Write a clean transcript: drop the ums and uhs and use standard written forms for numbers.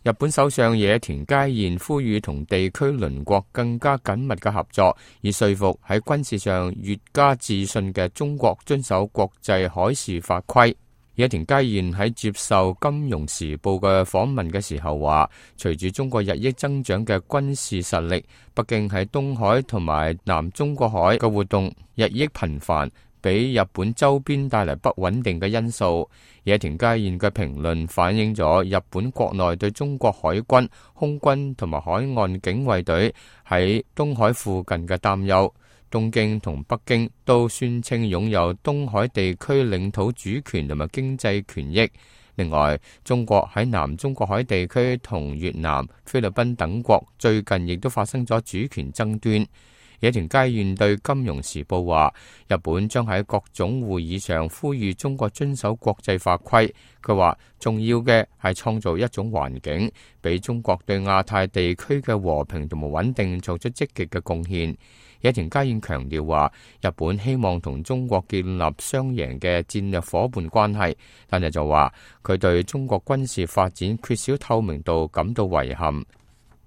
日本首相野田佳彥呼籲同地區鄰國更加緊密嘅合作，以說服喺軍事上越加自信嘅中國遵守國際海事法規。野田佳彥喺接受《金融時報》嘅訪問嘅時候話，隨住中國日益增長嘅軍事實力，北京喺東海同埋南中國海嘅活動日益頻繁，俾日本周邊帶嚟不穩定嘅因素。野田佳彥嘅評論反映咗日本國內對中國海軍、空軍同埋海岸警衛隊喺東海附近嘅擔憂。東京同北京都宣稱擁有東海地區領土主權同埋經濟權益。另外，中國喺南中國海地區同越南、菲律賓等國最近亦都發生咗主權爭端。野田佳彥對《金融時報》話，日本將喺各種會議上呼籲中國遵守國際法規。佢話重要嘅係創造一種環境，俾中國對亞太地區嘅和平同埋穩定做出積極嘅貢獻。野田佳彥強調話，日本希望同中國建立雙贏嘅戰略夥伴關係，但係就話佢對中國軍事發展缺少透明度感到遺憾。